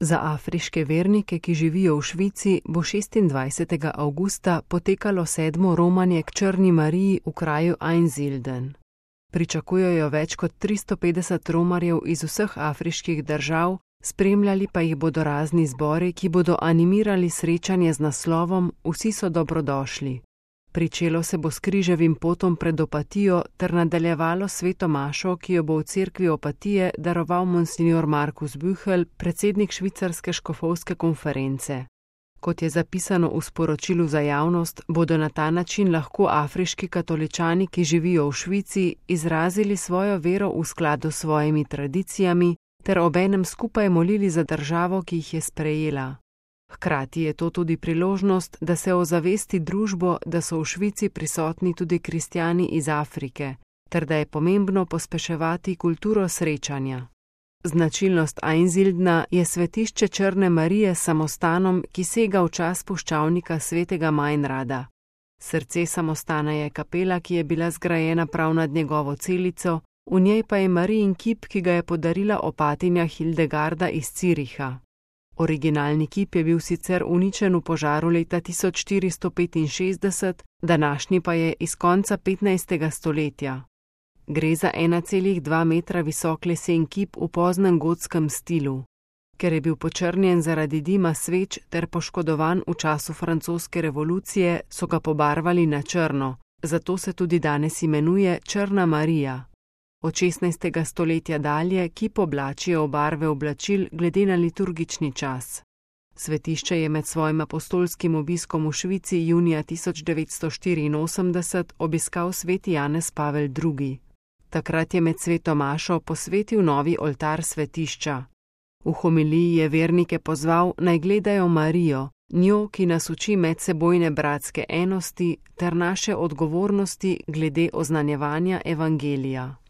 Za afriške vernike, ki živijo v Švici, bo 26. avgusta potekalo 7. romanje k Črni Mariji v kraju Einsiedeln. Pričakujejo več kot 350 romarjev iz vseh afriških držav, spremljali pa jih bodo razni zbori, ki bodo animirali srečanje z naslovom Vsi so dobrodošli. Pričelo se bo s križevim potom pred Opatijo ter nadaljevalo sveto mašo, ki jo bo v cerkvi Opatije daroval monsignor Markus Büchel, predsednik švicarske škofovske konference. Kot je zapisano v sporočilu za javnost, bodo na ta način lahko afriški katoličani, ki živijo v Švici, izrazili svojo vero v skladu s svojimi tradicijami ter obenem skupaj molili za državo, ki jih je sprejela. Hkrati je to tudi priložnost, da se ozavesti družbo, da so v Švici prisotni tudi kristjani iz Afrike, ter da je pomembno pospeševati kulturo srečanja. Značilnost Einsiedelna je svetišče Črne Marije s samostanom, ki sega v čas puščavnika svetega Meinrada. Srce samostana je kapela, ki je bila zgrajena prav nad njegovo celico, v njej pa je Marijin kip, ki ga je podarila opatinja Hildegarda iz Züricha. Originalni kip je bil sicer uničen v požaru leta 1465, današnji pa je iz konca 15. stoletja. Gre za 1,2 metra visok lesen kip v poznem gotskem stilu. Ker je bil počrnjen zaradi dima sveč ter poškodovan v času francoske revolucije, so ga pobarvali na črno, zato se tudi danes imenuje Črna Marija. Od 16. stoletja dalje kip oblačijo v barve oblačil glede na liturgični čas. Svetišče je med svojim apostolskim obiskom v Švici junija 1984 obiskal sveti Janez Pavel II. Takrat je med sveto mašo posvetil novi oltar svetišča. V homiliji je vernike pozval, naj gledajo Marijo, njo, ki nas uči medsebojne bratske enosti ter naše odgovornosti glede oznanjevanja evangelija.